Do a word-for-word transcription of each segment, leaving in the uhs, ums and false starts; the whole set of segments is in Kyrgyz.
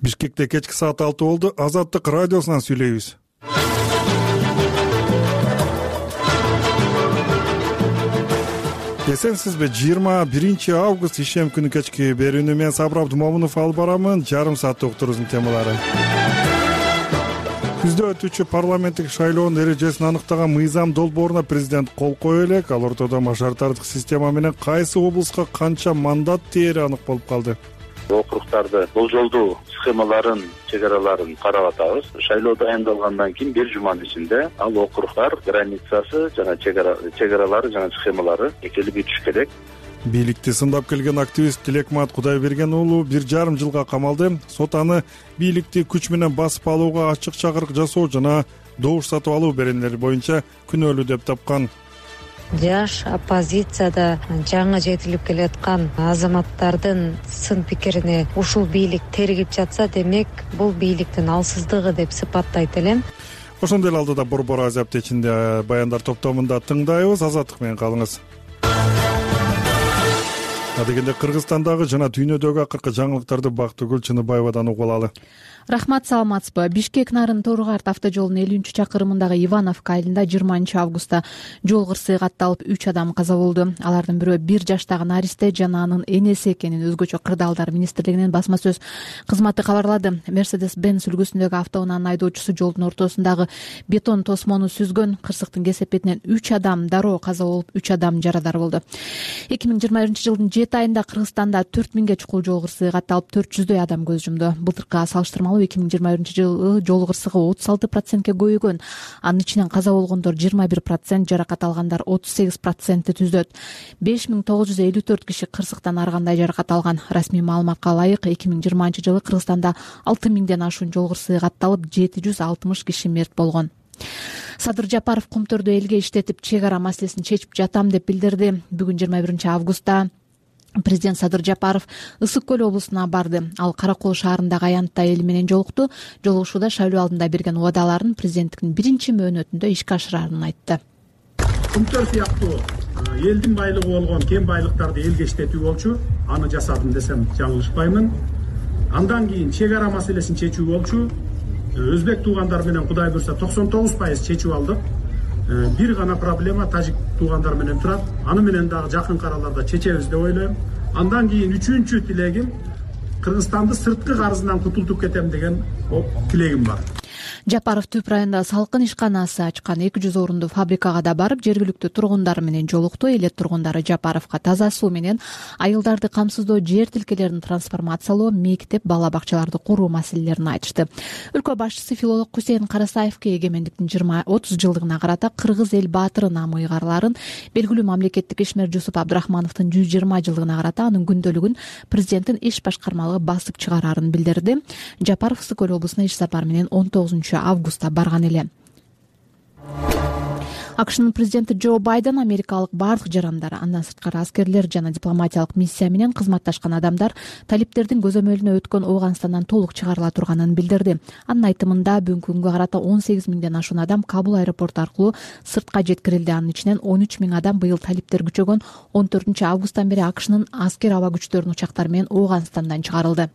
Бишкекте кечки саат алты болду. Азаттык радиосунан сүйлөйбүз. Эсенсизби? жыйырма биринчи август ишем күнү кечки берүүнү мен Сабыр Абдумомунов алып барамын. Жарым сааттык уктуруубуздун темалары. Күздө өтүүчү парламенттик шайлоонун эрежесин аныктаган мыйзам долбооруна президент кол кое элек. Ал ортодо мажоритардык система менен кайсы облуска канча мандат тээри анык болуп калды. Округдарды болжолдуу схемаларын, чек араларын карап атабыз. Шайлоо дайындалгандан кийин бир жуманын ичинде ал округдар границасы жана чек аралары жана схемалары экелип бүтүш керек. Бийликти сындап келген активист Тилекмат Кудайберген уулу бир жарым жылга камалды. Сот аны бийликти күч менен басып алууга ачык чакырык жасоо жана добуш сатып алуу беренелери боюнча күнөөлүү деп тапкан. Жаш оппозицияда жаңы жетилип келаткан азаматтардын сын пикирине ушул бийлик тергип жатса, демек бул бийликтин алсыздыгы деп сыпаттайт элем. Ошондой эле алдыда Борбор Азия аптечинде баяндар топтомунда тыңдайбыз. Азаттык менен калыңыз. Адегенде Кыргызстандагы жана дүйнөдөгү акыркы жаңылыктарды Бактыгүл Чыныбаевадан угуп алалы. Рахмат, саламатсызбы? Бишкек Нарын Торгарт автожолунун элүүнчү чакырымындагы Ивановка айылында жыйырманчы августта жол кырсыгы катталып үч адам каза болду. Алардын бирөө бир жаштагы наристе жана анын энеси экенин өзгөчө кырдаалдар министрлигинин басма сөз кызматы кабарлады. Мерседес-Бенц үлгүсүндөгү автоунаанын айдоочусу жолдун ортосундагы бетон тосмону сүзгөн. Кырсыктын кесепетинен үч адам дароо каза болуп, үч адам жарадар болду. эки миң жыйырма биринчи жылдын жети айында Кыргызстанда төрт миңге чукул жол кырсыгы катталып, төрт жүздөй адам көз жумду. Былтыркыга салыштырмалуу эки миң жыйырма биринчи жылы жол кырсыгы отуз алты процентке көбөйгөн. Анын ичинен каза болгондор жыйырма бир процент, жаракат алгандар отуз сегиз процентти түзөт. беш миң тогуз жүз элүү төрт киши кырсыктан ар кандай жаракат алган. Расмий маалыматка ылайык, эки миң жыйырманчы жылы Кыргызстанда алты миңден ашуун жол кырсыгы катталып, жети жүз алтымыш киши мерт болгон. Садыр Жапаров Кумтөрдү элге иштетип, чек ара маселесин чечип жатам деп билдирди. Бүгүн жыйырма биринчи августта президент Садыр Жапаров Ысык көл облусуна барды. Ал Каракол шаарындагы аянтта эли менен жолукту. Жолугушууда шайлоо алдында берген убадаларын президенттиктин биринчи мөөнөтүндө ишке ашырарын айтты. Кумтөр сыяктуу элдин байлыгы болгон кем байлыктарды элге иштетүү болчу. Аны жасадым десем жаңылышпаймын. Андан кийин чек ара маселесин чечүү болчу. Өзбек туугандар менен Кудай буйрса токсон тогуз пайыз чечип алдык. Бир гана проблема тажик туугандар менен турат. Аны менен дагы жакын араларда чечебиз деп ойлойм. Андан кийин үчүнчү тилегим Кыргызстанды сырткы карызынан кутултуп кетем деген тилегим бар. Жапаров Түп районунда салкын ишканасы ачкан эки жүз орундуу фабрикага да барып, жергиликтүү тургундар менен жолукту. Элет тургундары Жапаровго таза суу менен айылдарды камсыздоо, жер тилкелерин трансформациялоо, мектеп, бала бакчаларды куруу маселелерин айтышты. Өлкө башчысы филолог Кусейин Карасаевке эгемендиктин жыйырма отуз жылдыгына карата кыргыз эл баатыры намы ыйгарларын, белгилүү мамлекеттик ишмер Жусуп Абдрахмановдун жүз жыйырма жылдыгына карата анын күндөлүгүн президенттин иш башкармалыгы басып чыгарарын билдирди. Жапаров Ысык көл облусуна иш сапар менен он тогузунчу августта барган эле. АКШнын президенти Джо Байден америкалык бардык жарандар, андан сырткары аскерлер жана дипломатиялык миссия менен кызматташкан адамдар талиптердин көзөмөлүнө өткөн Ооганстандан толук чыгарыла турганын билдирди. Анын айтымында бүгүнкү күнгө карата он сегиз миңден ашуун адам Кабул аэропорту аркылуу сыртка жеткирилди. Анын ичинен он үч миң адам быйыл талиптер күчөгөн он төртүнчү августтан бери АКШнын аскер аба күчтөрүнүн учактары менен Ооганстандан чыгарылды.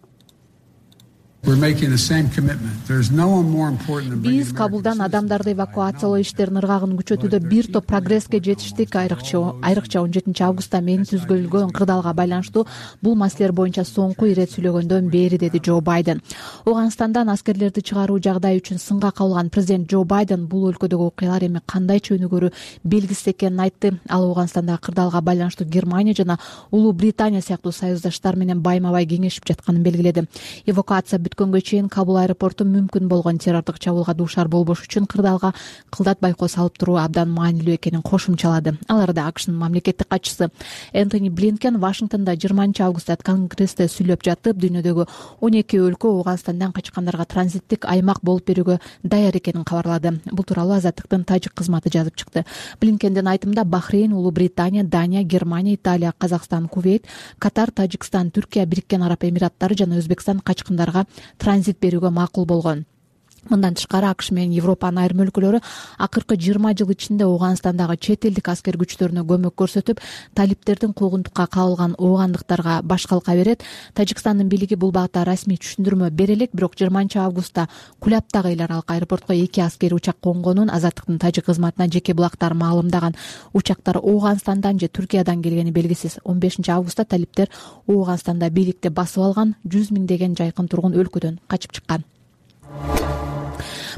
Биз Кабулдан адамдарды эвакуациялоо иштерин ыргагын күчөтүүдө бир топ прогресске жетиштик. Айрыкча айрыкча он жетинчи августта менин түзгөлгөн кырдаалга байланыштуу бул маселелер боюнча соңку ирет сүйлөгөндөн бери, деди Джо Байден. Ооганстандан аскерлерди чыгаруу жагдайы үчүн сынга кабылган президент Джо Байден бул өлкөдөгү окуялар эми кандайча өнүгөрү белгисиз экенин айтты. Ал Ооганстандагы кырдаалга байланыштуу Германия жана Улуу Британия сыяктуу союздаштар менен байма-бай кеңешип жатканын белгиледи. Эвакуация бүткөнгө чейин Кабул аэропорту мүмкүн болгон террордук чабуулга дуушар болбош үчүн кырдаалга кылдат байкоо салып туруу абдан маанилүү экенин кошумчалады. Аларда АКШнын мамлекеттик катчысы Энтони Блинкен Вашингтонда жыйырманчы августта Конгрессте сүйлөп жатып, дүйнөдөгү он эки өлкө Ооганстандан качкандарга транзиттик аймак болуп берүүгө даяр экенин кабарлады. Бул тууралуу Азаттыктын тажик кызматы жазып чыкты. Блинкендин айтымында Бахрейн, Улуу Британия, Дания, Германия, Италия, Казакстан, Кувейт, Катар, Тажикстан, Түркия, Бириккен Араб Эмираттары жана Өзбекстан качкындарга транзит берүүгө макул болгон. Мындан тышкары АКШ менен Европанын айрым өлкөлөрү акыркы жыйырма жыл ичинде Ооганстандагы чет элдик аскер күчтөрүнө көмөк көрсөтүп, талиптердин куугунтукка кабылган оогандыктарга баш калка берет. Тажикстандын бийлиги бул багытта расмий түшүндүрмө бере элек, бирок жыйырманчы августта Кулябтагы эл аралык аэропортко эки аскерий учак конгонун Азаттыктын тажик кызматына жеке булактар маалымдаган. Учактар Ооганстандан же Түркиядан келгени белгисиз. он бешинчи августта талиптер Ооганстанда бийликти басып алган, жүз миңдеген жайкын тургун өлкөдөн качып чыккан.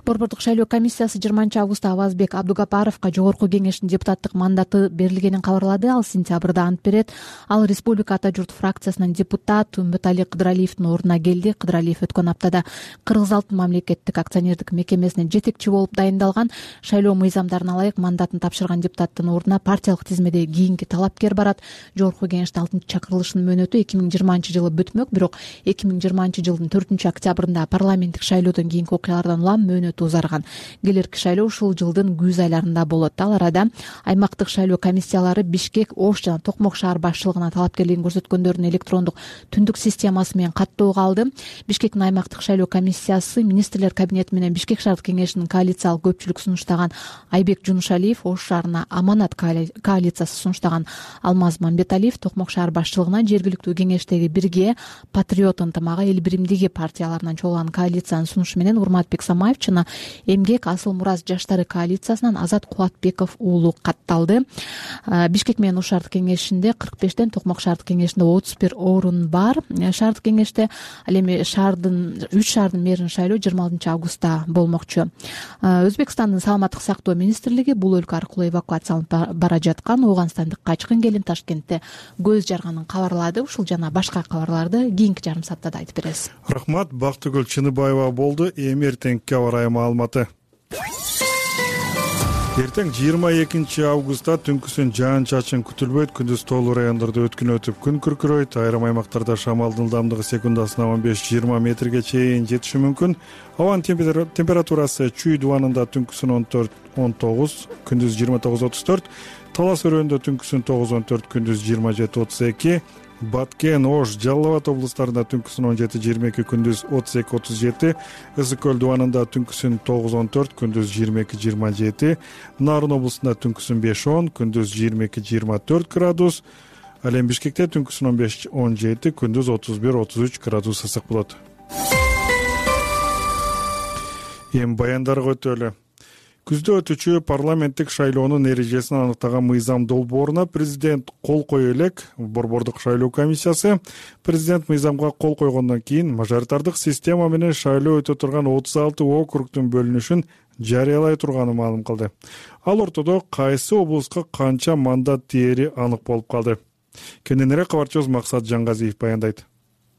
Борбордук шайлоо комиссиясы жыйырманчы августта Авазбек Абдугапаровго жогорку кеңештин депутаттык мандаты берилгенин кабарлады. Ал сентябрда ант берет. Ал Республика Ата журт фракциясынын депутаты Үмбөтали Кыдыралиевдин ордуна келди. Кыдыралиев өткөн аптада Кыргыз алтын мамлекеттик акционердик мекемесине жетекчи болуп дайындалган. Шайлоо мыйзамдарына ылайык мандатын тапшырган депутаттын ордуна партиялык тизмеде кийинки талапкер барат. Жогорку кеңештин алтынчы чакырылышынын мөөнөтү эки миң жыйырманчы жылы бүтмөк, бирок эки миң жыйырманчы жылдын төртүнчү октябрында парламенттик шайлоодон кийинки окуялардан улам мөөнөтү узарган. Келерки шайлоо ушул жылдын күз айларында болот. Ал арада аймактык шайлоо комиссиялары Бишкек, Ош жана Токмок шаар башчылыгына талапкерлигин көрсөткөндөрдүн электрондук түндүк системасы менен каттоого алды. Бишкектин аймактык шайлоо комиссиясы министрлер кабинети менен Бишкек шаардык кеңешинин коалициялык көпчүлүк сунуштаган Айбек Жунушалиев, Ош шаарына Аманат коалициясы сунуштаган Алмаз Мамбеталиев, Токмок шаар башчылыгына жергиликтүү кеңештеги Бирге, Патриот ынтымагы, Эл биримдиги партияларынан чогулган коалициянын сунушу менен Урматбек Самаев жана Эмгек Асыл Мураз жаштары коалициясынан Азат Кубатбеков уулу катталды. Бишкек менен Ош шаардык кеңешинде кырк бештен, Токмок шаардык кеңешинде отуз бир орун бар. Шаардык кеңеште ал эми шаардын үч шаардын мэрин шайлоо жыйырма алтынчы августта болмокчу. Өзбекстандын саламаттык сактоо министрлиги бул өлкө аркылуу эвакуацияланып бара жаткан ооганстандык качкын келин Ташкентте көз жарганын кабарлады. Ушул жана башка кабарларды кийинки жарым саатта да айтып беребиз. Рахмат. Бактыгүл Чыныбаева болду. Эми эртеңки аба ырайы маалыматы. Эртең жыйырма экинчи августта түнкүсүн жаан-чачын күтүлбөйт. Күндүз тоолуу райондордо өткүн өтүп күн күркүрөйт. Айрым аймактарда шамалдын ылдамдыгы секундасына он беш жыйырма метрге чейин жетиши мүмкүн. Абанын температурасы Чүй дубанында түнкүсүн он төрт он тогуз, күндүз жыйырма тогуз отуз төрт, Талас өрөөнүндө түнкүсүн тогуз он төрт, күндүз жыйырма жети отуз эки, Баткен, Ош, Жалал Абад облустарында түнкүсүн он жети жыйырма эки, күндүз отуз эки отуз жети, Ысык көл дубанында түнкүсүн тогуз он төрт, күндүз жыйырма эки жыйырма жети, Нарын облусунда түнкүсүн беш он, күндүз жыйырма эки жыйырма төрт градус, ал эми Бишкекте түнкүсүн он беш он жети, күндүз отуз бир отуз үч градус ысык болот. Эми баяндарга өтөлү. Күздө өтүүчү парламенттик шайлоонун эрежесин аныктаган мыйзам долбооруна президент кол кое элек. Борбордук шайлоо комиссиясы президент мыйзамга кол койгондон кийин мажоритардык система менен шайлоо өтө турган отуз алты округдун бөлүнүшүн жарыялай турганын маалым кылды. Ал ортодо кайсы облуска канча мандат тиери анык болуп калды. Кененирээк кабарчыбыз Максат Жангазиев баяндайт.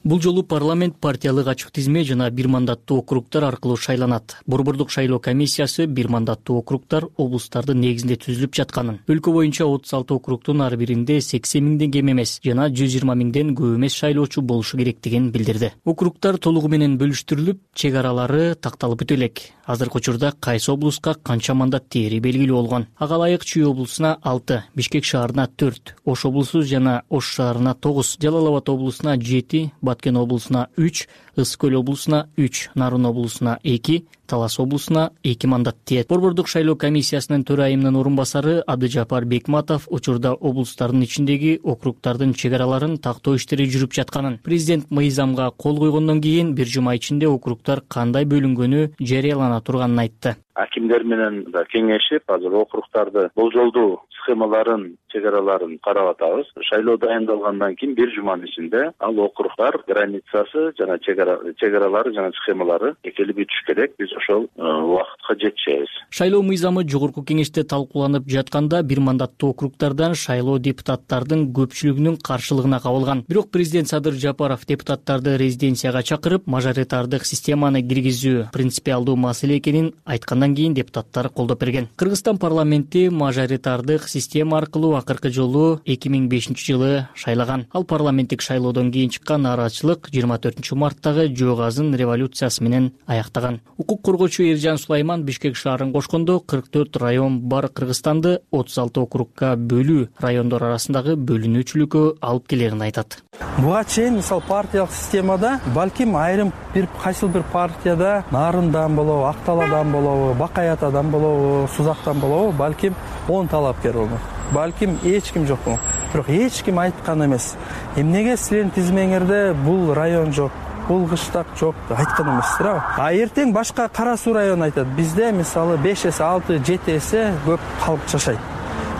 Бул жолу парламент партиялык ачык тизме жана бир мандаттуу округтар аркылуу шайланат. Борбордук шайлоо комиссиясы бир мандаттуу округтар облустардын негизинде түзүлүп жатканын, өлкө боюнча отуз алты округтун ар биринде сексен миңден кем эмес жана жүз жыйырма миңден көп эмес шайлоочу болушу керектигин билдирди. Округтар толугу менен бөлүштүрүлүп, чек аралары такталып бүтө элек. Азыркы учурда кайсы облуска канча мандат тиери белгилүү болгон. Ага ылайык Чүй облусуна алты, Бишкек шаарына төрт, Ош облусу жана Ош шаарына тогуз, Жалал Абад облусуна жети, Баткен облусуна үч, Ысык көл облусуна үч, Нарын облусуна эки, Талас облусуна эки мандат тиет. Борбордук шайлоо комиссиясынын төрайымынын орун басары Абдыжапар Бекматов учурда облустардын ичиндеги округтардын чек араларын тактоо иштери жүрүп жатканын, президент мыйзамга кол койгондон кийин бир жума ичинде округтар кандай бөлүнгөнү жарыялана турганын айтты. Акимдер менен да кеңешип, азыр округтарды болжолдуу схемаларын, чек араларын карап атабыз. Шайлоо дайындалгандан кийин бир жуманын ичинде ал округдар границасы жана чек аралары жана схемалары экелип бүтүш керек. Биз ошол убакытка жетишебиз. Шайлоо мыйзамы жогорку кеңеште талкууланып жатканда бир мандаттуу округтардан шайлоо депутаттардын көпчүлүгүнүн каршылыгына кабылган. Бирок президент Садыр Жапаров депутаттарды резиденцияга чакырып, мажоритардык системаны киргизүү принципиалдуу маселе экенин айткандан кийин депутаттар колдоп берген. Кыргызстан парламенти мажоритардык система аркылуу акыркы жолу эки миң бешинчи жылы шайлаган. Ал парламенттик шайлоодон кийин чыккан нааразычылык жыйырма төртүнчү марттагы Жөө-Казын революциясы менен аяктаган. Укук коргоочу Эржан Сулайман Бишкек шаарын кошкондо кырк төрт район бар Кыргызстанды отуз алты округга бөлүү райондор арасындагы бөлүнүүчүлүккө алып келерин айтат. Буга чейин мисал партиялык системада балким айрым бир кайсыл бир партияда Нарындан болобу, Ак Талаадан болобу, Бакай Атадан болобу, Сузактан болобу, балким он талапкер болмок. Балким эч ким жок болмок. Бирок эч ким айткан эмес. Эмнеге силердин тизмеңерде бул район жок, бул кыштак жок айткан эмессиздер. А эртең башка Кара Суу району айтат. Бизде мисалы беш эсе, алты, жети эсе көп калк жашайт.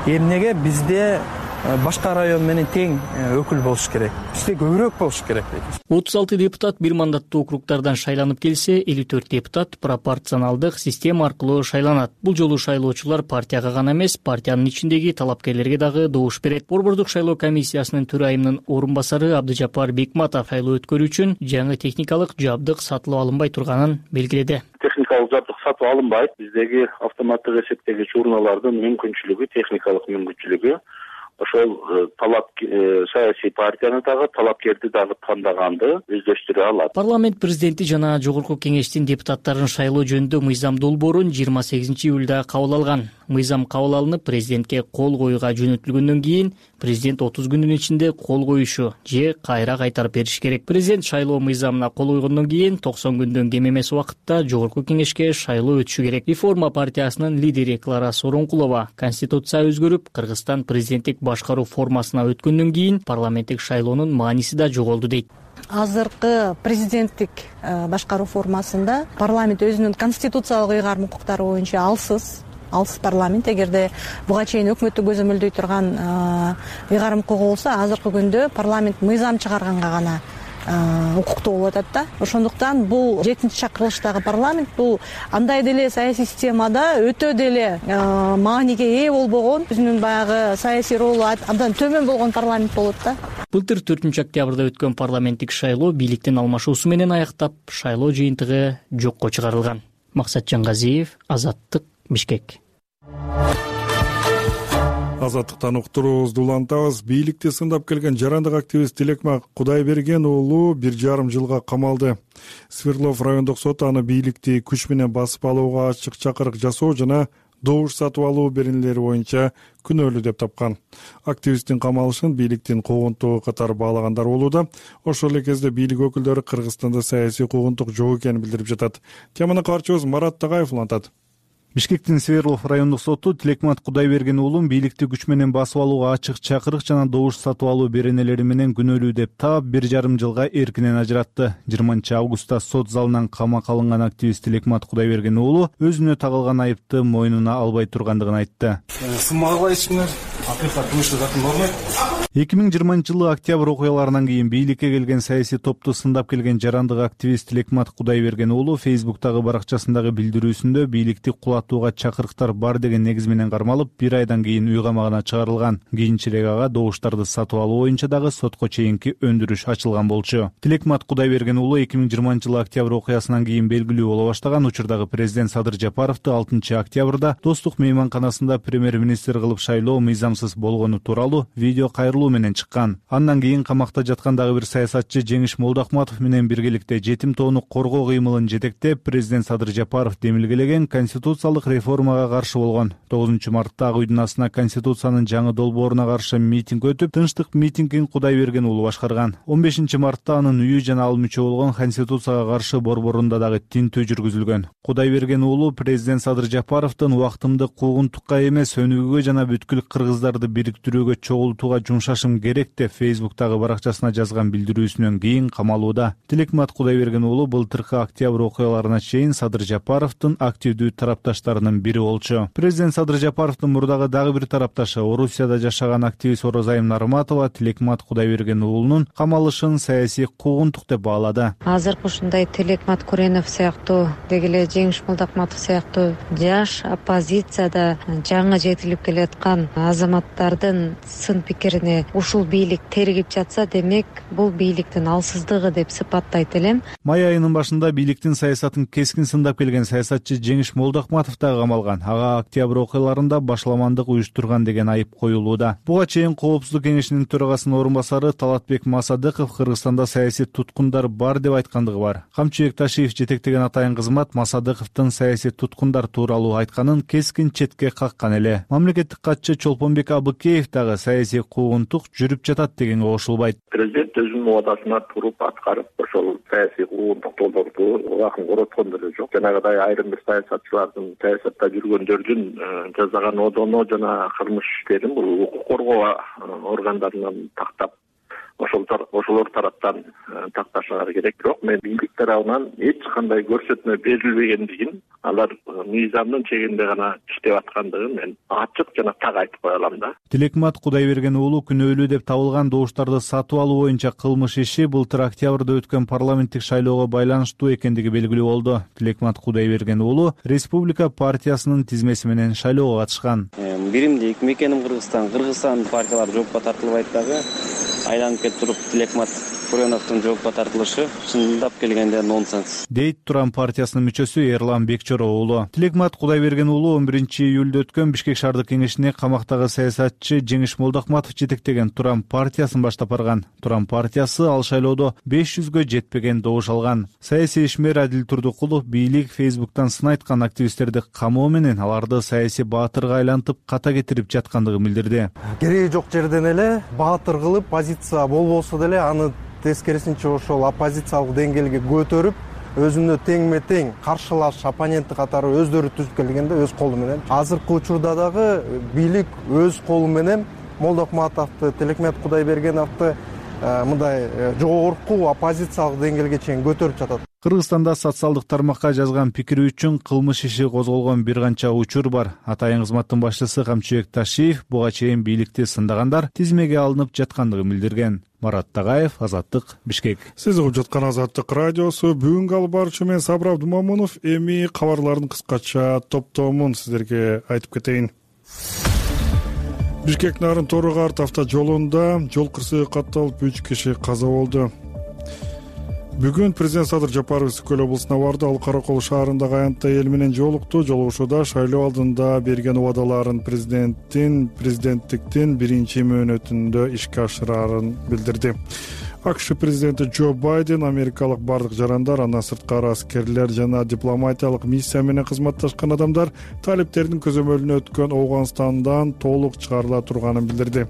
Эмнеге бизде башка район менен тең өкүл болуш керек, бизде көбүрөөк болуш керек дейт. отуз алты депутат бир мандаттуу округдардан шайланып келсе, элүү төрт депутат пропорционалдык система аркылуу шайланат. Бул жолу шайлоочулар партияга гана эмес, партиянын ичиндеги талапкерлерге дагы добуш берет. Борбордук шайлоо комиссиясынын төрайымынын орун басары Абдыжапар Бекматов шайлоо өткөрүү үчүн жаңы техникалык жабдык сатылып алынбай турганын белгиледи. Техникалык жабдык сатып алынбайт. Биздеги автоматтык эсептегич урналардын мүмкүнчүлүгү, техникалык мүмкүнчүлүгү ошол талап саясий партияны дагы, талапкерди дагы тандаганды өздөштүрө алат. Парламент президенти жана жогорку кеңештин депутаттарын шайлоо жөнүндө мыйзам долбоорун жыйырма сегизинчи июлда кабыл алган. Мыйзам кабыл алынып, президентке кол коюуга жөнөтүлгөндөн кийин президент отуз күндүн ичинде кол коюшу же кайра кайтарып бериш керек. Президент шайлоо мыйзамына кол койгондон кийин токсон күндөн кем эмес убакытта жогорку кеңешке шайлоо өтүшү керек. Реформа партиясынын лидери Клара Сооронкулова конституция өзгөрүп, Кыргызстан президенттик башкаруу формасына өткөндөн кийин парламенттик шайлоонун мааниси да жоголду дейт. Азыркы президенттик башкаруу формасында парламент өзүнүн конституциялык ыйгарым укуктары боюнча алсыз алсыз парламент. Эгерде буга чейин өкмөттү көзөмөлдөй турган ыйгарым укугу болсо, азыркы күндө парламент мыйзам чыгарганга гана укуктуу болуп атат да. Ошондуктан бул жетинчи чакырылыштагы парламент бул андай деле саясий системада өтө деле мааниге ээ болбогон, өзүнүн баягы саясий ролу абдан төмөн болгон парламент болот да. Былтыр төртүнчү октябрда өткөн парламенттик шайлоо бийликтин алмашуусу менен аяктап, шайлоо жыйынтыгы жокко чыгарылган. Максат Жаңгазиев, Азаттык, Бишкек. Азаттыктан уктуруубузду улантабыз. Бийликти сындап келген жарандык активист Тилекмат Кудайберген уулу бир жарым жылга камалды. Свердлов райондук соту аны бийликти күч менен басып алууга ачык чакырык жасоо жана добуш сатып алуу беренелери боюнча күнөөлүү деп тапкан. Активисттин камалышын бийликтин куугунтугу катары баалагандар болууда. Ошол эле кезде бийлик өкүлдөрү Кыргызстанда саясий куугунтук жок экенин билдирип жатат. Теманы каарчыбыз Марат Тагаев улантат. Бишкектин Свердлов райондук соту Тилекмат Кудайберген уулун бийликти күч менен басып алууга ачык чакырык жана добуш сатып алуу беренелери менен күнөөлүү деп таап, бир жарым жылга эркинен ажыратты. жыйырманчы августта сот залынан камакка алынган активист Тилекмат Кудайберген уулу өзүнө тагылган айыпты мойнуна албай тургандыгын айтты. эки миң жыйырманчы жылы октябрь окуяларынан кийин бийликке келген саясий топту сындап келген жарандык активист Тилекмат Кудайберген уулу Фейсбуктагы баракчасындагы билдирүүсүндө бийликти кулатууга чакырыктар бар деген негиз менен кармалып, бир айдан кийин үй камагына чыгарылган. Кийинчерээк ага добуштарды сатып алуу боюнча дагы сотко чейинки өндүрүш ачылган болчу. Тилекмат Кудайберген уулу эки миң жыйырманчы жылы октябрь окуясынан кийин белгилүү боло баштаган учурдагы президент Садыр Жапаровду алтынчы октябрда Достук мейманканасында премьер-министр кылып шайлоо мыйзамсыз болгону тууралуу видео кайрылуу менен чыккан. Андан кийин камакта жаткан дагы бир саясатчы Жеңиш Молдохматов менен биргеликте жетим тоону коргоо кыймылын жетектеп, президент Садыр Жапаров демилгелеген конституциялык реформага каршы болгон. тогузунчу мартта Ак үйдүн астына конституциянын жаңы долбооруна каршы митинг өтүп, тынчтык митингин Кудайберген уулу башкарган. он бешинчи мартта анын үйү жана ал мүчө болгон конституцияга каршы борборунда дагы тинтүү жүргүзүлгөн. Кудайберген уулу президент Садыр Жапаровдун убактымды куугунтукка эмес, өнүгүүгө жана бүткүл кыргыздарды бириктирүүгө чогултууга жумшашым керек деп Фейсбуктагы баракчасына жазган билдирүүсүнөн кийин камалууда. Тилекмат Кудайберген уулу былтыркы октябрь окуяларына чейин Садыр Жапаровдун активдүү тарапташтарынын бири болчу. Президент Садыр Жапаровдун мурдагы дагы бир тарапташы, Орусияда жашаган активист Орозайым Нарматова Тилекмат Кудайберген уулунун камалышын саясий куугунтук деп баалады. Азыркы ушундай Тилекмат Куренов сыяктуу, деги эле Жеңиш Молдохматов сыяктуу жаш оппозицияда жаңы жетилип келаткан азаматтардын сын пикирине ушул бийлик тергип жатса, демек бул бийликтин алсыздыгы деп сыпаттайт элем. Май айынын башында бийликтин саясатын кескин сындап келген саясатчы Жеңиш Молдохматов дагы камалган. Ага октябрь окуяларында башламандык уюштурган деген айып коюлууда. Буга чейин Коопсуздук кеңешинин төрагасынын орун басары Талатбек Масадыков Кыргызстанда саясий туткундар бар деп айткандыгы бар. Камчыбек Ташиев жетектеген атайын кызмат Масадыковдун саясий туткундар тууралуу айтканын кескин четке каккан эле. Мамлекеттик катчы Чолпонбек Абыкеев дагы саясий куугунтук жыйынтык жүрүп жатат дегенге кошулбайт. Президент өзүнүн убадасына туруп аткарып, ошол саясий куугунтуктоолорду убакын короткон деле жок. Жанагыдай айрым бир саясатчылардын, саясатта жүргөндөрдүн жасаган одоно жана кылмыш иштерин бул укук коргоо органдарынан тактап, ошолор ошолор тараптан такташалары керек. Бирок мен бийлик тарабынан эч кандай көрсөтмө берилбегендигин, алар мыйзамдын чегинде гана иштеп аткандыгын мен ачык жана так айтып кое алам да. Тилекмат Кудайберген уулу күнөөлүү деп табылган добуштарды сатып алуу боюнча кылмыш иши былтыр октябрда өткөн парламенттик шайлоого байланыштуу экендиги белгилүү болду. Тилекмат Кудайберген уулу Республика партиясынын тизмеси менен шайлоого катышкан. Биримдик мекеним Кыргызстан, Кыргызстан партиялары жоопко тартылбайт дагы. Айланып кетип туруп Тилекмат Курановдун жоопко тартылышы чындап келгенде нонсенс, дейт Туран партиясынын мүчөсү Эрлан Бекчоров уулу. Тилекмат Кудайберген уулу он биринчи июлда өткөн Бишкек шаардык кеңешине камактагы саясатчы Жеңиш Молдохматов жетектеген Туран партиясын баштап барган. Туран партиясы ал шайлоодо беш жүзгө жетпеген добуш алган. Саясий ишмер Адил Турдукулов бийлик Фейсбуктан сын айткан активисттерди камоо менен аларды саясий баатырга айлантып ката кетирип жаткандыгын билдирди. Кереги жок жерден эле баатыр кылып позиция болбосо деле аны тескерисинче ошол оппозициялык деңгээлге көтөрүп, өзүнө теңме тең каршылаш оппоненти катары өздөрү түзүп келгенде өз колу менен. Азыркы учурда дагы бийлик өз колу менен Молдохматовду, Тилекмат Кудайбергеновду мындай жогорку оппозициялык деңгээлге чейин көтөрүп жатат. Кыргызстанда социалдык тармакка жазган пикири үчүн кылмыш иши козголгон бир канча учур бар. Атайын кызматтын башчысы Камчыбек Ташиев буга чейин бийликти сындагандар тизмеге алынып жаткандыгын билдирген. Марат Тагаев, Азаттык, Бишкек. Сиз угуп жаткан Азаттык радиосу. Бүгүнкү алып баруучу мен Сабыр Абдумамунов. Эми кабарлардын кыскача топтомун сиздерге айтып кетейин. Бишкек Нарын Тору-Карт автожолунда жол кырсыгы катталып үч киши каза болду. Бүгүн президент Садыр Жапаров Ысык-Көл облусуна барды. Ал Каракол шаарындагы аянтта эл менен жолукту. Жолугушууда шайлоо алдында берген убадаларын президенттин президенттиктин биринчи мөөнөтүндө ишке ашырарын билдирди. АКШ президенти Джо Байден америкалык бардык жарандар, андан сырткары аскерлер жана дипломатиялык миссия менен кызматташкан адамдар талиптердин көзөмөлүнө өткөн Ооганстандан толук чыгарыла турганын билдирди.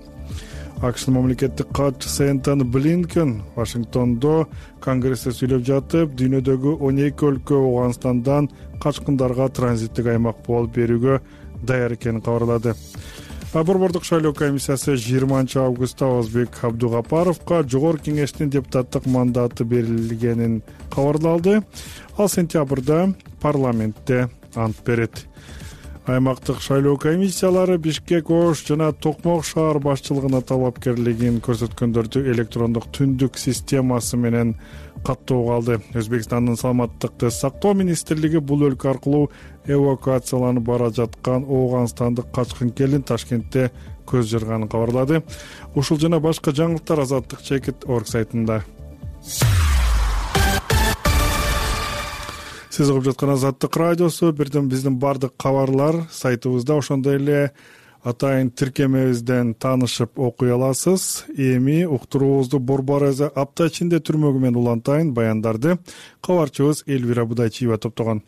АКШнын мамлекеттик катчысы Энтони Блинкен Вашингтондо Конгрессте сүйлөп жатып, дүйнөдөгү он эки өлкө Ооганстандан качкындарга транзиттик аймак болуп берүүгө даяр экенин кабарлады. Борбордук шайлоо комиссиясы жыйырманчы августта Озбек Абдугапаровго жогорку кеңештин депутаттык мандаты берилгенин кабарлады. Ал сентябрда парламентте ант берет. Аймактык шайлоо комиссиялары Бишкек, Ош жана Токмок шаар башчылыгына талапкерлигин көрсөткөндөрдү электрондук түндүк системасы менен каттоого алды. Өзбекстандын саламаттыкты сактоо министрлиги бул өлкө аркылуу эвакуацияланып бара жаткан Ооганстандык качкын келин Ташкентте көз жырганын кабарлады. Ушул жана башка жаңылыктар Азаттык чекит орг сайтында. Сиз угуп жаткан Азаттык радиосу. Бирден биздин бардык кабарлар сайтыбызда, ошондой эле атайын тиркемебизден таанышып окуй аласыз. Эми уктуруубузду Борбор-Азия апта ичинде түрмөгү менен улантайын баяндарды кабарчыбыз Элвира Будайчиева топтогон.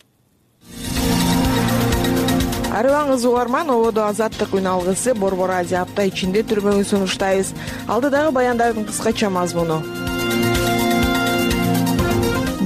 Арыбаңыз угарман, ободо Азаттык үн алгысы Борбор-Азия апта ичинде түрмөгүн сунуштайбыз. Алдыдагы баяндардын кыскача мазмуну.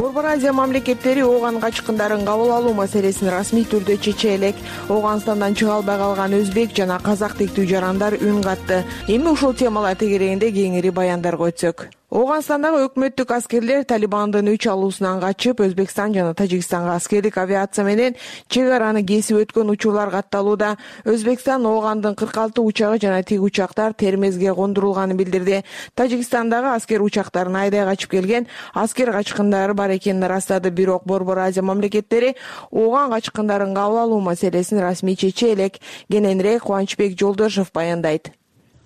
Борбор-Азия мамлекеттери Ооган качкындарын кабыл алуу маселесин расмий түрдө чече элек. Ооганстандан чыга албай калган өзбек жана казак тектүү жарандар үн катты. Эми ушул темалар тегерегинде кеңири баяндарга өтсөк. Ооганстандагы өкмөттүк аскерлер Талибандын үч алуусунан качып, Өзбекстан жана Тажикстанга аскердик авиация менен чек араны кесип өткөн учурлар катталууда. Өзбекстан Оогандын кырк алты учагы жана тик учактар Термезге кондурулганын билдирди. Тажикстандагы аскер учактарын айдай качып келген аскер качкындары бар экенин ырастады. Бирок Борбор-Азия мамлекеттери Ооган качкындарын кабыл алуу маселесин расмий чече элек. Кененирээк Кубанычбек Жолдошов баяндайт.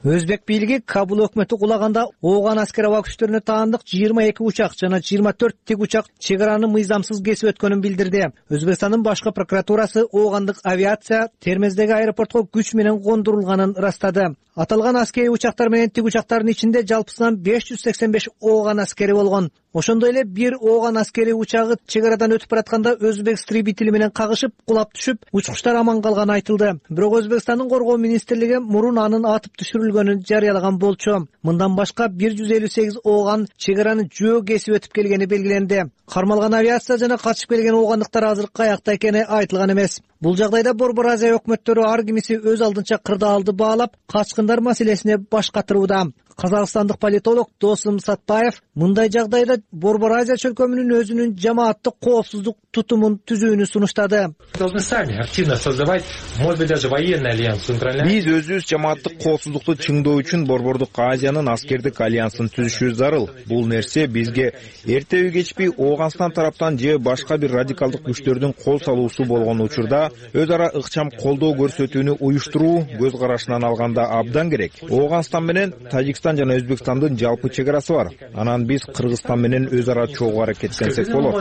Өзбек бийлиги Кабул өкмөтү кулаганда Ооган аскер аба күчтөрүнө таандык жыйырма эки учак жана жыйырма төрт тик учак чек араны мыйзамсыз кесип өткөнүн билдирди. Өзбекстандын башкы прокуратурасы Оогандык авиация Термездеги аэропортко күч менен кондурулганын ырастады. Аталган аскери учактар менен тик учактардын ичинде жалпысынан беш жүз сексен беш Ооган аскери болгон. Ошондой эле бир Ооган аскери учагы чек арадан өтүп баратканда өзбек истребители менен кагышып, кулап түшүп, учкучтар аман калганы айтылды. Бирок Өзбекстандын коргоо министрлиги мурун анын атып түшүрүлгөнүн жарыялаган болчу. Мындан башка бир жүз элүү сегиз Ооган чек араны жөө кесип өтүп келгени белгиленди. Кармалган авиация жана качып келген оогандыктар азыр каякта экени айтылган эмес. Бул жагдайда Борбор Азия өкмөттөрү ар кимиси өз алдынча кырдаалды баалап, качкындар маселесине баш катырууда. Казакстандык политолог Досум Сатпаев мындай жагдайда Борбор Азия чөлкөмүнүн өзүнүн жамааттык коопсуздук тутумун түзүүнү сунуштады. Биз өзүбүз жамааттык коопсуздукту чыңдоо үчүн Борбордук Азиянын аскердик альянсын түзүшүбүз зарыл. Бул нерсе бизге эртеби кечпи Оогандстан тараптан же башка бир радикалдык күчтөрдүн кол салуусу болгон учурда өз ара ыкчам колдоо көрсөтүүнү уюштуруу көз карашынан алганда абдан керек. Оогандстан менен Тажикстан жана Өзбекстандын жалпы чек арасы бар. Анан биз Кыргызстан менен өз ара чогуу аракеттенсек болот.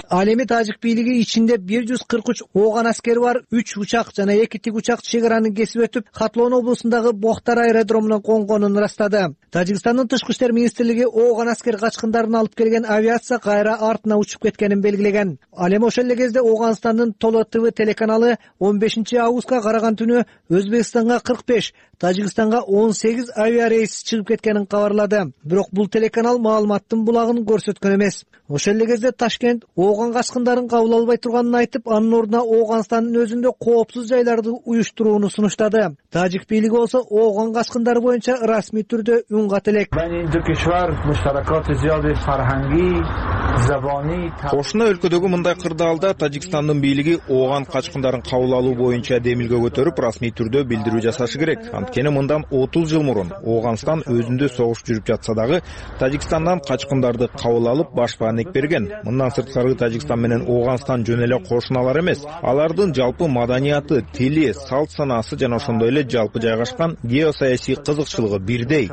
Ал эми тажик бийлиги ичинде бир жүз кырк үч Ооган аскери бар үч учак жана эки тигучак чек араны кесип өтүп, Хатлон облусундагы Бохтар аэродромуна конгонун ырастады. Тажикстандын тышкы иштер министрлиги Ооган аскер качкындарын алып келген авиация кайра артына учуп кеткенин белгилеген. Ал эми ошол эле кезде Оогандстандын Толо ТВ телеканалы он бешинчи августка караган түнү Өзбекстанга кырк беш, Тажикстанга он сегиз авиарейс чыгып кеткенин кабарлады. Бирок бул телеканал маалыматтын булагын көрсөткөн эмес. Ошол эле кезде Ташкент Ооган качкындарын кабыл албай турганын айтып, анын ордуна Оогандстандын өзүндө коопсуз жайларды уюштурууну сунуштады. Тажик бийлиги болсо Ооган качкындары боюнча расмий түрдө үн ката элек. Кошуна өлкөдөгү мындай кырдаалда Тажикстандын бийлиги Ооган качкындарын кабыл алуу боюнча демилге көтөрүп, расмий түрдө билдирүү жасашы керек. Анткени мындан отуз жыл мурун Оогандстан өзүндө согуш жүрүп жатса дагы Тажикстандан качкындарды кабыл алып башпаанек берген. Мындан сырткары Тажикстан менен Оогандстан жөн эле кошуналар эмес. Алардын жалпы маданияты, тили, салт санаасы жана ошондой эле жалпы жайгашкан геосаясий кызыкчылыгы бирдей.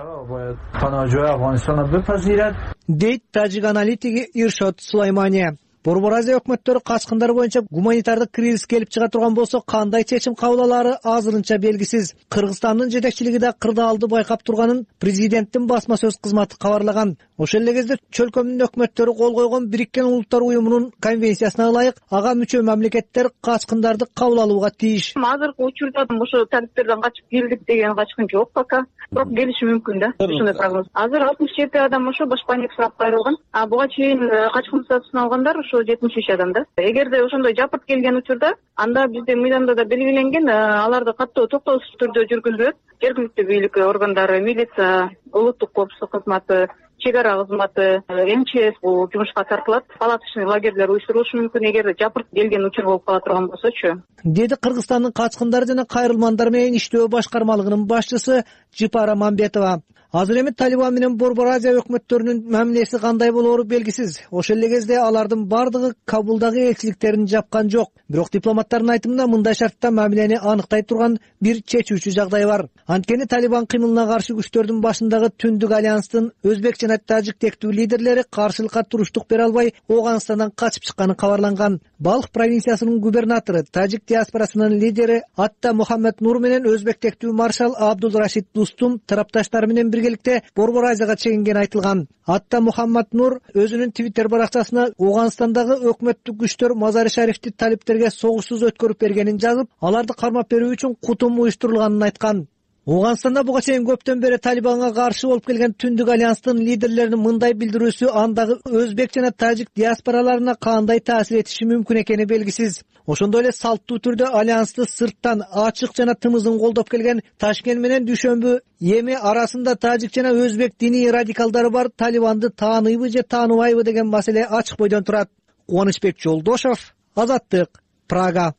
Дейт тажик аналитиги Иршот Сулаймания. Борбор Азия өкмөттөрү качкындар боюнча гуманитардык кризис келип чыга турган болсо кандай чечим кабыл алаары азырынча белгисиз. Кыргызстандын жетекчилиги да кырдаалды байкап турганын президенттин басма сөз кызматы кабарлаган. Ошол эле кезде чөлкөмүнүн өкмөттөрү кол койгон Бириккен Улуттар уюмунун конвенциясына ылайык ага мүчө мамлекеттер качкындарды кабыл алууга тийиш. Азыркы учурда ошо талиптерден качып келдик деген качкын жок пока. Бирок келиши мүмкүн да. Ошондой прогноз. Азыр алтымыш жети адам ошо башпаанек сурап кайрылган. А буга чейин качкын статусун алгандар жетимиш үч адам да. Эгерде ошондой жапырт келген учурда, анда бизде мыйзамда да белгиленген, аларды каттоо токтоосуз түрдө жүргүзүлөт. Жергиликтүү бийлик органдары, милиция, улуттук коопсуздук кызматы, чек ара кызматы, эм че эс бул жумушка тартылат. Палаточный лагерлер уюштурулушу мүмкүн эгерде жапырт келген учур болуп кала турган болсочу. Деди Кыргызстандын качкындар жана кайрылмандар менен иштөө башкармалыгынын башчысы Жипара Мамбетова. Азыр эми Талибан менен Борбор Азия өкмөттөрүнүн мамилеси кандай болоору белгисиз. Ошол эле кезде алардын бардыгы Кабулдагы элчиликтерин жапкан жок. Бирок дипломаттардын айтымында мындай шартта мамилени аныктай турган бир чечүүчү жагдай бар. Анткени Талибан кыймылына каршы күчтөрдүн башындагы Түндүк альянстын өзбек жана тажик тектүү лидерлери каршылыкка туруштук бере албай Оогандстандан качып чыкканы кабарланган. Балх провинциясынын губернатору, тажик диаспорасынын лидери Атта Мухаммед Нур менен өзбек тектүү маршал Абдул Рашид Дустум тарапташтары менен биргеликте Борбор Азияга чегинген айтылган. Атта Мухаммад Нур өзүнүн Твиттер баракчасына Оогандстандагы өкмөттүк күчтөр Мазари Шарифти талиптерге согушсуз өткөрүп бергенин жазып, аларды кармап берүү үчүн кутум уюштурулганын айткан. Оогандстанда буга чейин көптөн бери Талибанга каршы болуп келген Түндүк альянстын лидерлеринин мындай билдирүүсү андагы өзбек жана тажик диаспораларына кандай таасир этиши мүмкүн экени белгисиз. Ошондой эле салттуу түрдө альянсты сырттан ачык жана тымызын колдоп келген Ташкент менен Дүйшөмбү эми арасында тажик жана өзбек диний радикалдары бар Талибанды тааныйбы же тааныбайбы деген маселе ачык бойдон турат. Кубанычбек Жолдошов, Азаттык, Прага.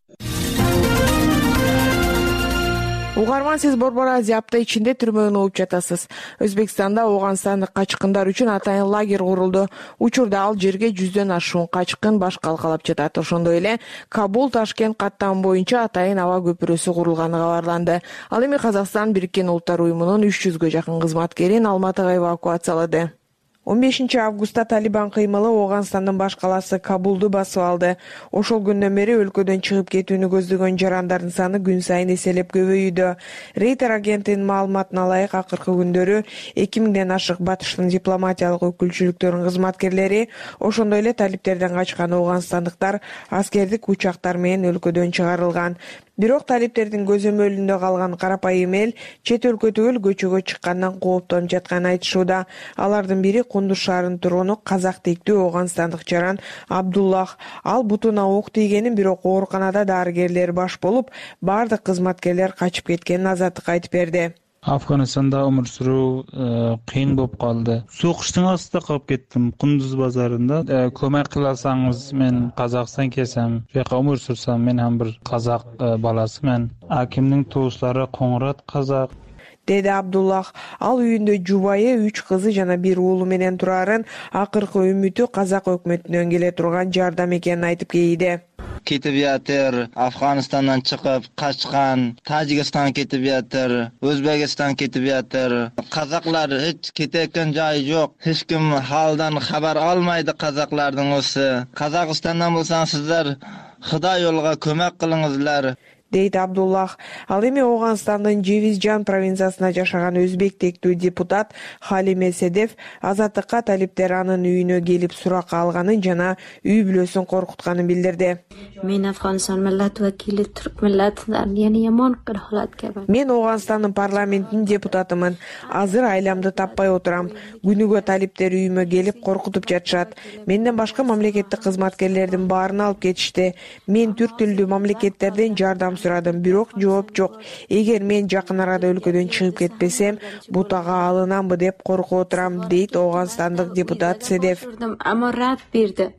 Угарман, сиз Борбор Азия апта ичинде түрмөгөн угуп жатасыз. Өзбекстанда Оогандстандык качкындар үчүн атайын лагерь курулду. Учурда ал жерге жүздөн ашуун качкын баш калкалап жатат. Ошондой эле Кабул Ташкент каттам боюнча атайын аба көпүрөсү курулганы кабарланды. Ал эми Казакстан Бириккен Улуттар уюмунун үч жүзгө жакын кызматкерин Алматыга эвакуациялады. он бешинчи августта Талибан кыймылы Ооганстандын баш калаасы Кабулду басып алды. Ошол күндөн бери өлкөдөн чыгып кетүүнү көздөгөн жарандардын саны күн сайын эселеп көбөйүүдө. Рейтер агенттигинин маалыматына ылайык акыркы күндөрү эки миңден ашык батыштын дипломатиялык өкүлчүлүктөрүнүн кызматкерлери, ошондой эле талиптерден качкан ооганстандыктар аскердик учактар менен өлкөдөн чыгарылган. Бирок талиптердин көзөмөлүндө калган карапайым эл чет өлкө түгүл көчөгө чыккандан кооптонуп жатканын айтышууда. Алардын бири Кундуз шаарынын тургуну казак тектүү ооганстандык жаран Абдуллах. Ал бутуна ок тийгенин, бирок ооруканада дарыгерлер баш болуп, бардык кызматкерлер качып кеткенин азаттыкка айтып берди. Афганистанда өмүр сүрүү кыйын болуп калды. Согуштун астында калып кеттим. Кундуз базарында көмөк кыласаңыз, мен Казакстан келсем, жака өмүр сүрсөм, мен ham бир казак баласымын. Акимдин тууштары Коңурат казак, деди Абдуллах. Ал үйүндө жубайы, үч кызы жана бир уулу менен турарын, акыркы үмүтү казак өкмөтүнөн келе турган жардам экенин айтып кейиди. Кетип жатыр, Афганистандан чыгып качкан, Тажикстан кетип жатыр, Өзбекстан кетип жатыр. Казаклар эч кеткен жайы жок. Эч ким халдан хабар алмайды казаклардын осы. Казакстандан болсаң сиздер Кудай жолго көмөк кылыңыздар, дейт Абдуллах. Ал эми Ооганстандын Жевизжан провинциясында жашаган өзбек тектүү депутат Халиме Седев азаттыкка талиптер анын үйүнө келип суракка алганын жана үй бүлөсүн коркутканын билдирди. Мен Афганистан миллат вакили, түрк миллатынан яны ямон кырхалат кебе. Мен Ооганстандын парламентинин депутатымын. Азыр айламды таппай отурам. Күнүгө талиптер үйүмө келип коркутуп жатышат. Менден башка мамлекеттик кызматкерлердин баарын алып кетишти. Мен түрк тилдүү мамлекеттерден жардам сурадым, бирок жооп жок. Эгер мен жакын арада өлкөдөн чыгып кетпесем, бутага алынамбы деп коркуп отурам, дейт Ооганстандык депутат Седев.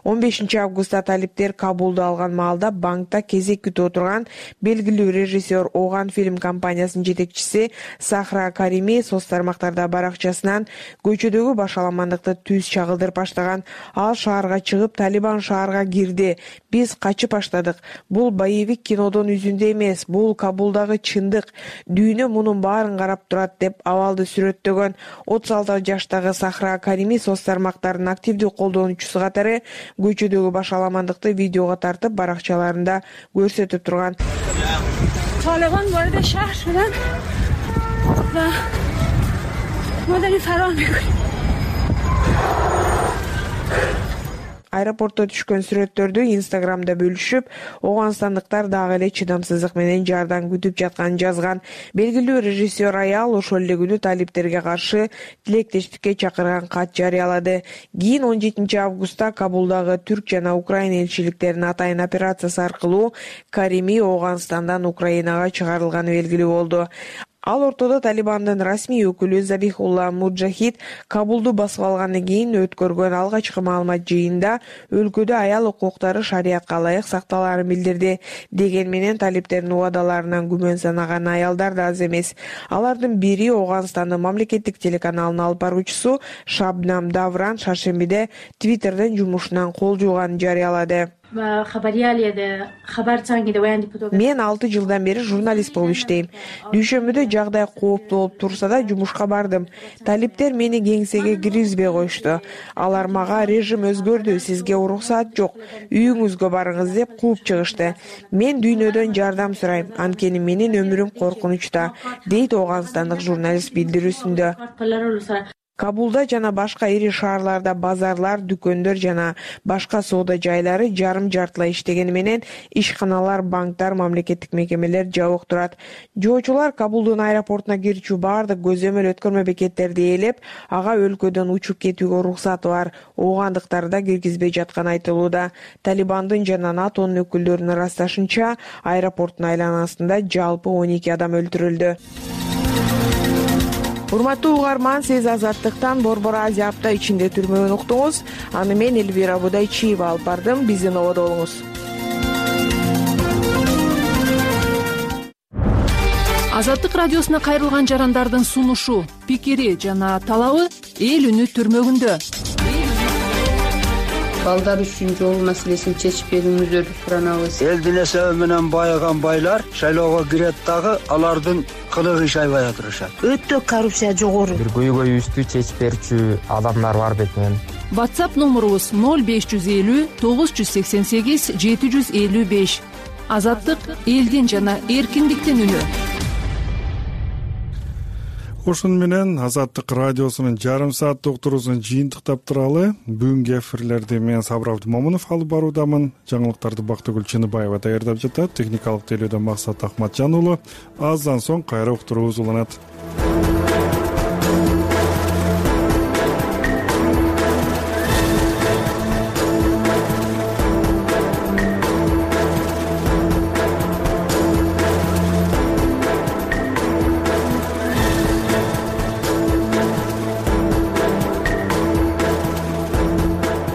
он бешинчи августта талиптер Кабулду алган маалда банкта кезек күтүп отурган белгилүү режиссер Ооган фильм компаниясынын жетекчиси Сахра Карими соц тармактарда баракчасынан көчөдөгү башаламандыкты түз чагылдырып баштаган. Ал шаарга чыгып, Талибан шаарга кирди. Биз качып баштадык. Бул боевик кинодон үзүндө эмес, бул Кабулдагы чындык. Дүйнө мунун баарын карап турат деп абалды сүрөттөгөн отуз алты жаштагы Сахра Карими соц тармактарынын активдүү колдонуучусу катары көчөдөгү башаламандыкты видеого тартып баракчаларында көрсөтүп турган. Талибан вард шаар шудан ва ма дарим фарор мекунем. Аэропортто түшкөн сүрөттөрдү Инстаграмда бөлүшүп, ооганстандыктар дагы эле чыдамсыздык менен жардам күтүп жатканын жазган. Белгилүү режиссер аял ошол эле күнү талиптерге каршы тилектештикке чакырган кат жарыялады. Кийин он жетинчи августта Кабулдагы түрк жана Украина элчиликтеринин атайын операциясы аркылуу Карими Ооганстандан Украинага чыгарылганы белгилүү болду. Ал ортодо Талибандын расмий өкүлү Забихулла Муджахид Кабулду басып алгандан кийин өткөргөн алгачкы маалымат жыйында өлкөдө аял укуктары шариятка ылайык сакталаарын билдирди. Деген менен талиптердин убадаларынан күмөн санаган аялдар да аз эмес. Алардын бири Ооганстандын мамлекеттик телеканалынын алып баруучусу Шабнам Давран шаршембиде Твиттерден жумушунан кол жууганын жарыялады. Мен алты жылдан бери журналист болуп иштейм. Дүйшөмбүдө жагдай кооптуу болуп турса да жумушка бардым. Талиптер мени кеңсеге киргизбей коюшту. Алар мага режим өзгөрдү, сизге уруксаат жок, үйүңүзгө барыңыз деп кууп чыгышты. Мен дүйнөдөн жардам сурайм, анткени менин өмүрүм коркунучта, дейт Ооганстандык журналист билдирүүсүндө. Кабулда жана башка ири шаарларда базарлар, дүкөндөр жана башка соода жайлары жарым-жартылай иштегени менен ишканалар, банктар, мамлекеттик мекемелер жабык турат. Жоочулар Кабулдун аэропортуна кирчү бардык көзөмөл өткөрмө бекеттерди ээлеп, ага өлкөдөн учуп кетүүгө уруксаты бар оогандыктарды да киргизбей жатканы айтылууда. Талибандын жана НАТОнун өкүлдөрүнүн ырасташынча, аэропорттун айланасында жалпы он эки адам өлтүрүлдү. Урматтуу угарман, сиз Азаттыктан Борбор Азия апта ичинде түрмөгүн уктуңуз. Аны мен Элвира Будайчиева алып бардым. Биздин ободо болуңуз. Азаттык радиосуна кайрылган жарандардын сунушу, пикири жана талабы эл үнү түрмөгүндө. балдар үчүн жол маселесин чечип берүүңүздөрдү суранабыз. Элдин эсеби менен байыган байлар шайлоого кирет дагы алардын кылыгы шайбай отурушат. Өтө коррупция жогору. Бир көйгөйүбүздү чечип берчү адамдар бар бет менен. WhatsApp номурубуз ноль беш жүз элүү тогуз жүз сексен сегиз жети жүз элүү беш. Азаттык элдин жана эркиндиктин үнү. Ошону менен Азаттык радиосунун жарым сааттык уктуруусун жыйынтыктап туралы. Бүгүнкү эфирлерди мен Сабыр Абдымомунов алып баруудамын. Жаңылыктарды Бактыгүл Чыныбаева даярдап жатат. Техникалык тейлөөдө Максат Акматжан уулу. Аздан соң кайра уктуруубуз уланат.